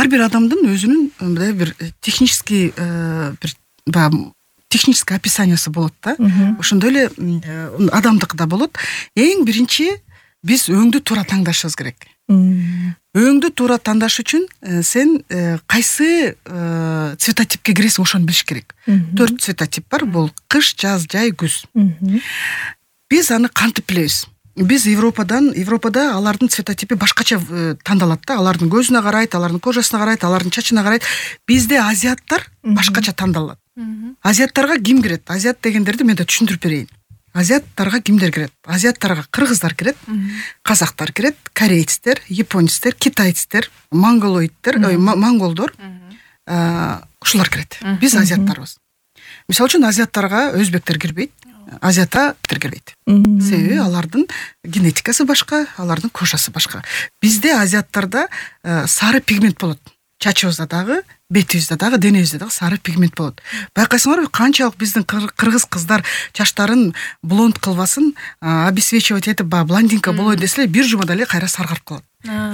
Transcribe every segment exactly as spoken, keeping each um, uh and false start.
ар бир адамдын өзүнүн мындай бир технический бир баягы технический описаниясы болот да. Ошондой эле адамдыкы да болот. Эң биринчи биз өңдү туура таңдашыбыз керек. Өңдү туура тандаш үчүн сен кайсы цветотипке киресиң ошону билиш керек. Төрт цветотип бар. Бул кыш, жаз, жай, күз. Биз аны кантип билебиз? Биз Европадан, Европада алардын цветотипи башкача тандалат да. Алардын көзүнө карайт, алардын кожасына карайт, алардын чачына карайт. Бизде азиаттар башкача тандалат. Азиаттарга ким кирет? Азиат дегендерди мен да түшүндүрүп берейин. Азиаттарга кимдер кирет? Азиаттарга кыргыздар кирет, казактар кирет, корейцтер, японецтер, китайцтер, монголоидтер, монголдор, ушулар кирет. Биз азиаттарбыз. Мисалы үчүн азиаттарга өзбектер кирбейт, азиаттар кирбейт. Себеби алардын генетикасы башка, алардын кожасы башка. Бизде азиаттарда сары пигмент болот. Чачыбызда дагы, бетибизде дагы, денебизде дагы сары пигмент болот. Байкайсыңарбы, канчалык биздин кыргыз кыздар чачтарын блонд кылбасын, обесвечивать этип, ба блондинка болой деселе, бир жумада эле кайра саргарып калат.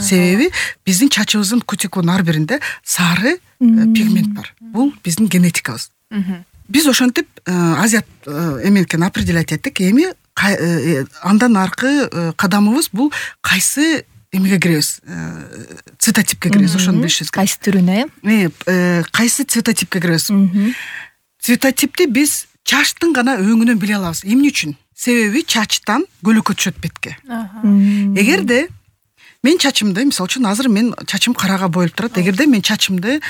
Себеби биздин чачыбыздын кутикунун ар биринде сары пигмент бар. Бул биздин генетикабыз. Биз ошентип азиат эменкен определять эттик. Эми андан аркы кадамыбыз бул кайсы эмеге киребиз, цветотипке киребиз, ошону билишибиз керек. Кайсы түрүнө? Э, кайсы цветотипке киребиз? Цветотипти биз чачтын гана өңүнөн биле алабыз. Эмне үчүн? Себеби чачтан көлөкө түшөт бетке. Эгерде мен чачымды, мисалы үчүн азыр мен чачым карага боюлуп турат. Эгерде мен чачымды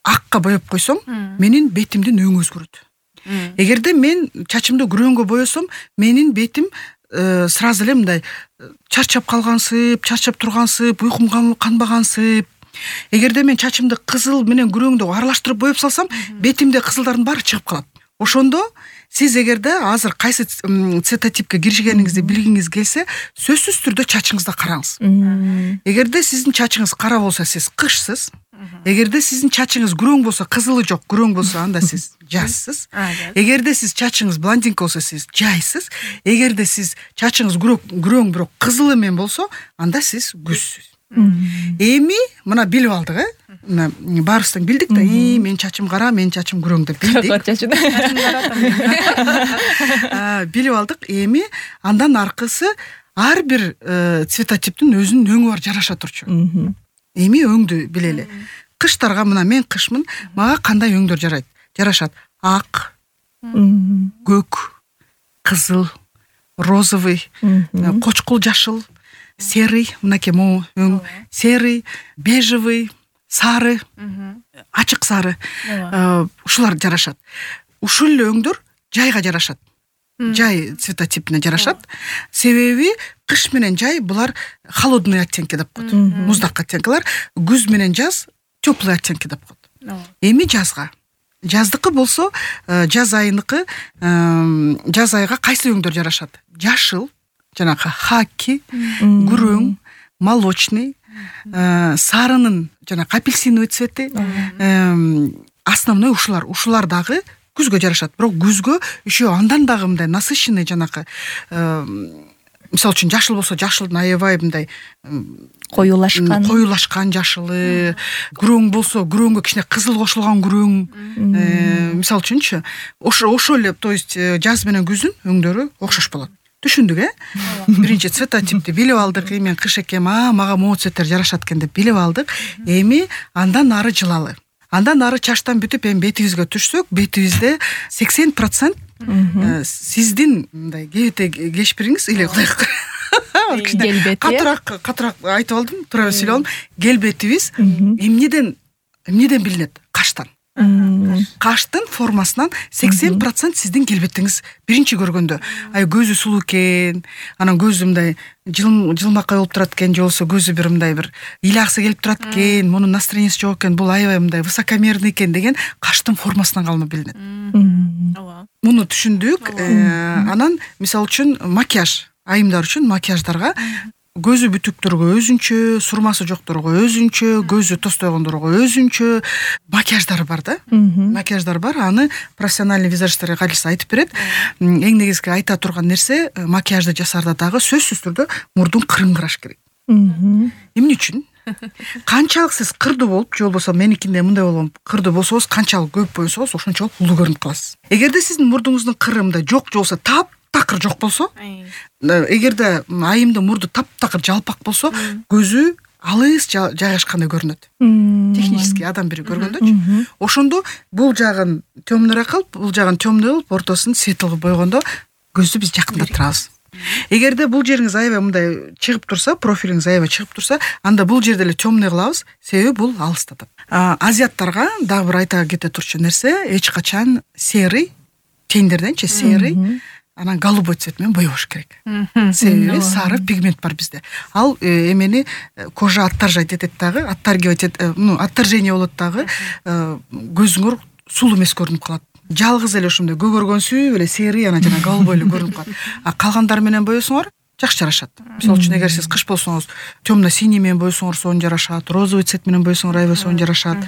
акка боеп койсом, менин бетимдин өңү өзгөрөт. Эгерде мен чачымды күрөңгө боесом, менин бетим сразу эле мындай чарчап калгансып, чарчап тургансып, уйкум канбагансып. Эгерде мен чачымды кызыл менен күрөңдү аралаштырып боеп салсам, бетимде кызылдардын баары чыгып калат. Ошондо сиз эгерде азыр кайсы цветотипке киришкениңизди билгиңиз келсе, сөзсүз түрдө чачыңызды караңыз. Эгерде сиздин чачыңыз кара болсо, сиз кышсыз. Эгерде сиздин чачыңыз күрөң болсо, кызылы жок, күрөң болсо, анда сиз жазсыз. Эгерде сиз чачыңыз блондинка болсо, сиз жайсыз. Эгерде сиз чачыңыз күрөң бирок кызылы менен болсо, анда сиз күзсүз. Эми мына билип алдык, э? Мына баарыбыз билдик да, и мен чачым кара, мен чачым күрөң деп билдик. Билип алдык. Эми андан аркысы ар бир цветотиптин өзүнүн өңү бар, жараша турчу. Эми өңдү билели. Кыштарга мына мен кышмын, мага кандай өңдөр жарайт? Жарашат. Ак, көк, кызыл, розовый, кочкул жашыл, серый, мынакей могу өң, серый, бежевый, сары, ачык сары. Ушулар жарашат. Ушул эле өңдөр жайга жарашат. Жай цветотипине жарашат. Себеби кыш менен жай булар холодный оттенки деп коет. Муздак оттенкилар. Күз менен жаз теплый оттенки деп коет. Эми жазга. Жаздыкы болсо, жаз айыныкы, жаз айга кайсы өңдөр жарашат? Жашыл, жанакы хаки, күрөң, молочный, сарынын жанакы апельсиновый цвети, основной ушулар, ушулар дагы күзгө жарашат. Бирок күзгө еще андан дагы мындай насыщенный жанакы, мисалы үчүн жашыл болсо, жашылдын аябай мындай коюлашкан, коюлашкан жашылы, күрөң болсо, күрөңгө кичине кызыл кошулган күрөң. Мисалы үчүнчү, ошо ошол эле, то есть жаз менен күздүн өңдөрү окшош болот. Түшүндүк, э? Биринчи цветотипти билип алдык, эми кыш экен, а мага могу цветтер жарашат экен деп билип алдык. Эми андан ары жылалы. Андан ары чачтан бүтүп, эми бетибизге түшсөк, бетибизде сексен процент сиздин мындай кебете кешпириңиз или кудай келбети. Катыраак, катыраак айтып алдым, туура эле сүйлөп алдым. Келбетибиз эмнеден, эмнеден билинет? Каштан. Каштын формасынан сексен процент сиздин келбетиңиз биринчи көргөндө. Ай көзү сулуу экен, анан көзү мындай жылмакай болуп турат экен, же болбосо көзү бир мындай бир ыйлаксы келип турат экен, мунун настроенияси жок экен, бул аябай мындай высокомерный экен деген каштын формасынан калынып билинет. Муну түшүндүк. Анан мисалы үчүн макияж, айымдар үчүн макияждарга көзү бүтүктөргө өзүнчө, сурмасы жокторго өзүнчө, көзү тостойгондорго өзүнчө макияждар бар да. Макияждар бар. Аны профессиональный визажисттерге кайрылса айтып берет. Эң негизги айта турган нерсе, макияжды жасаарда дагы сөзсүз түрдө мурдун кырын караш керек. Эмне үчүн? Канчалык сиз кырдуу болуп же болбосо меникинде мындай болуп кырдуу болсоңуз, канчалык көп болсоңуз, ошончолук улуу көрүнүп каласыз. Эгерде сиздин мурдуңуздун кыры мындай жок же болбосо таптакыр жок болсо, эгерде айымдын мурду таптакыр жалпак болсо, көзү алыс жайгашкандай көрүнөт. Технически адам бири көргөндөчү. Ошондо бул жагын темныйраак кылып, бул жагын темный кылып, ортосун светл кылып бойгондо көздү биз жакындап турабыз. Эгерде бул жериңиз аябай мындай чыгып турса, профилиңиз аябай чыгып турса, анда бул жерде эле темный кылабыз, себеби бул алыстатат. Азиаттарга дагы бир айта кете турчу нерсе, эч качан серый, тендерденчи серый, анан голубой цвет менен боебош керек. Себеби сары пигмент бар бизде. Ал эмени кожа отторжать этет дагы, отторгивать этет, ну, отторжение болот дагы, көзүңөр сулуу эмес көрүнүп калат. Жалгыз эле ошондой көгөргөнсүп эле серый, анан жана голубой эле көрүнүп калат. А калгандары менен боесоңор жакшы жарашат. Мисалы үчүн эгер сиз кыш болсоңуз, темно-синий менен боесоңор сонун жарашат, розовый цвет менен боесоңор аябай сонун жарашат.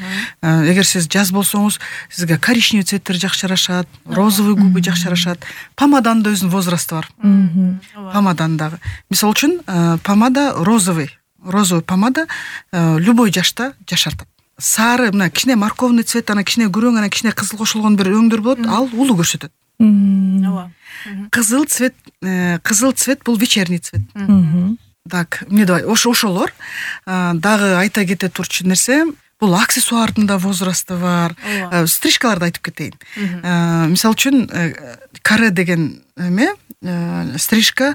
Эгер сиз жаз болсоңуз, сизге коричневый цветтер жакшы жарашат, розовый губы жакшы жарашат. Помаданын да өзүнүн возрасты бар. Помаданын дагы. Мисалы үчүн помада розовый, розовый помада любой жашта жашартат. Сары, мына кичине морковный цвет, анан кичине күрөң, анан кичине кызыл кошулгон бир өңдөр болот, ал улуу көрсөтөт. Ооба. Кызыл цвет, кызыл цвет бул вечерний цвет. Так, эмне давай, ошолор дагы айта кете турчу нерсе, бул аксессуардын да возрасты бар. Стрижкаларды айтып кетейин. Мисалы үчүн каре деген эме, стрижка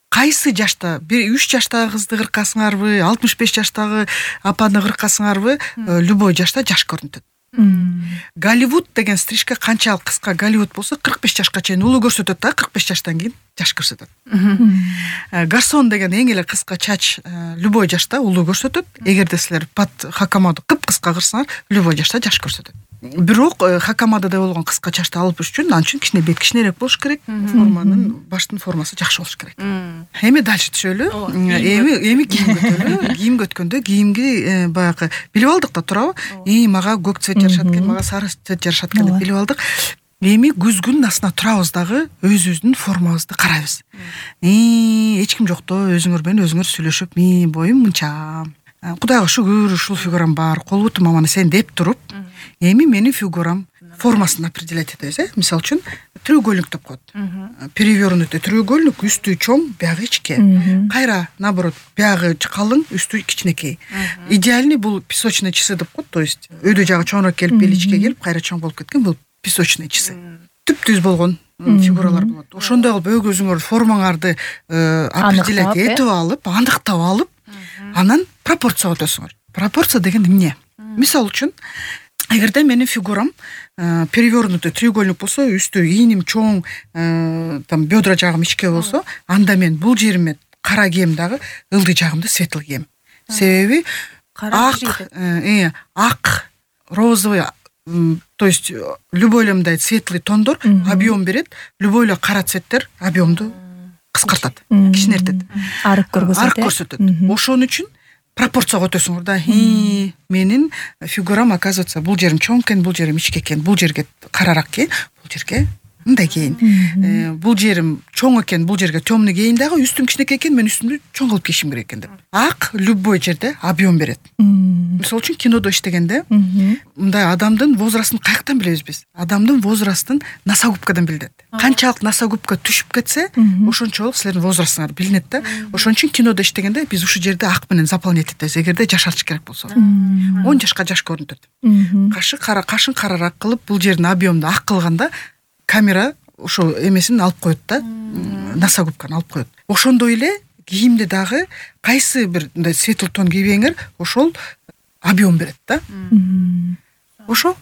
кайсы жашта, бир үч жаштагы кызды кыркасыңарбы, алтымыш беш жаштагы апаны кыркасыңарбы, любой жашта жаш көрүнөт. Голливуд деген стрижка канчалык кыска Голливуд болсо, кырк беш жашка чейин улуу көрсөтөт да, кырк беш жаштан кийин жаш көрсөтөт. Гарсон деген эң эле кыска чач любой жашта улуу көрсөтөт. Эгерде силер под хакамаду кыпкыска кырсаңар, любой жашта жаш көрсөтөт. Бирок хакамадада болгон кыска чачты алып үчүн анын үчүн кичине бет кичинерээк болуш керек, форманын, баштын формасы жакшы болуш керек. Эми дальше түшөлү. Эми эми кийимге өтөлү. Кийимге өткөндө кийимги баягы билип алдык да турабы? И мага көк цвет жарашат экен, мага сары цвет жарашат экен деп билип алдык. Эми күзгүнүн астына турабыз дагы өзүбүздүн формабызды карайбыз. Эч ким жокто өзүңөр менен өзүңөр сүйлөшүп, мен боюм мынча, Кудайга шүгүр, ушул фигурам бар, кол бутум маманы сен деп туруп, эми менин фигурам формасын определять этебиз, э? Мисалы үчүн треугольник деп коет. Перевернутый треугольник, үстү чоң, биягы ичке. Кайра наоборот, биягы калың, үстү кичинекей. Идеальный бул песочные часы деп коет, то есть өйдө жагы чоңураак келип, бели ичке келип, кайра чоң болуп кеткен, бул песочные часы. Түп-түз болгон фигуралар болот. Ошондой кылып өз өзүңөр формаңарды определять этип алып, андыктап алып, анан пропорцияга өтөсүңөр. Пропорция деген эмне? Мисалы үчүн, эгерде менин фигурам перевернутый треугольник болсо, үстү ийним чоң, там бедра жагым ичке болсо, анда мен бул жериме кара кийем дагы, ылдый жагымды светл кийем. Себеби ак, э, ак, розовый, то есть любой эле мындай светлый тондор объем берет, любой эле кара цветтер объемду кыскартат, кичинертет. Арык көрсөтөт. Арык көрсөтөт. Ошон үчүн пропорцияга өтөсүңөр да. Менин фигурам, оказывается, бул жерим чоң экен, бул жерим ичке экен, бул жерге карараак кийин, бул жерге мындай кийин. Бул жерим чоң экен, бул жерге темный кийин дагы, үстүм кичинекей экен, мен үстүмдү чоң кылып кийишим керек экен деп. Ак любой жерде объем берет. Мисалы үчүн кинодо иштегенде, мындай адамдын возрастын каяктан билебиз биз? Адамдын возрастын носогубкадан билинет. Канчалык носогубка түшүп кетсе, ошончолук силердин возрастыңар билинет да. Ошон үчүн кинодо иштегенде биз ушул жерде ак менен заполнять этебиз, эгерде жашартыш керек болсо. он жашка жаш көрүнөт. Кашы кара, кашын карараак кылып, бул жердин объемду ак кылганда камера ошо эмесин алып коет да, носогубканы алып коет. Ошондой эле кийимде дагы кайсы бир мындай светл тон кийбеңер, ошол объем берет да. Ошо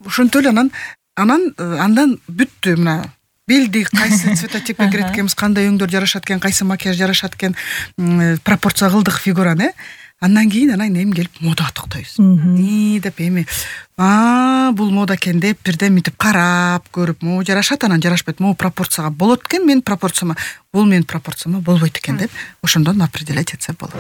ошонтип эле анан анан андан бүттү. Мына белди кайсы цветотипке кирет экенбиз, кандай өңдөр жарашат экен, кайсы макияж жарашат экен, пропорция кылдык фигураны. Андан кийин анан эми келип модага токтойбуз. И деп эми а бул мода экен деп бирден мынтип карап көрүп, могу жарашат, анан жарашпайт, могу пропорцияга болот экен, менин пропорцияма, бул менин пропорцияма болбойт экен деп ошондон определять этсе болот.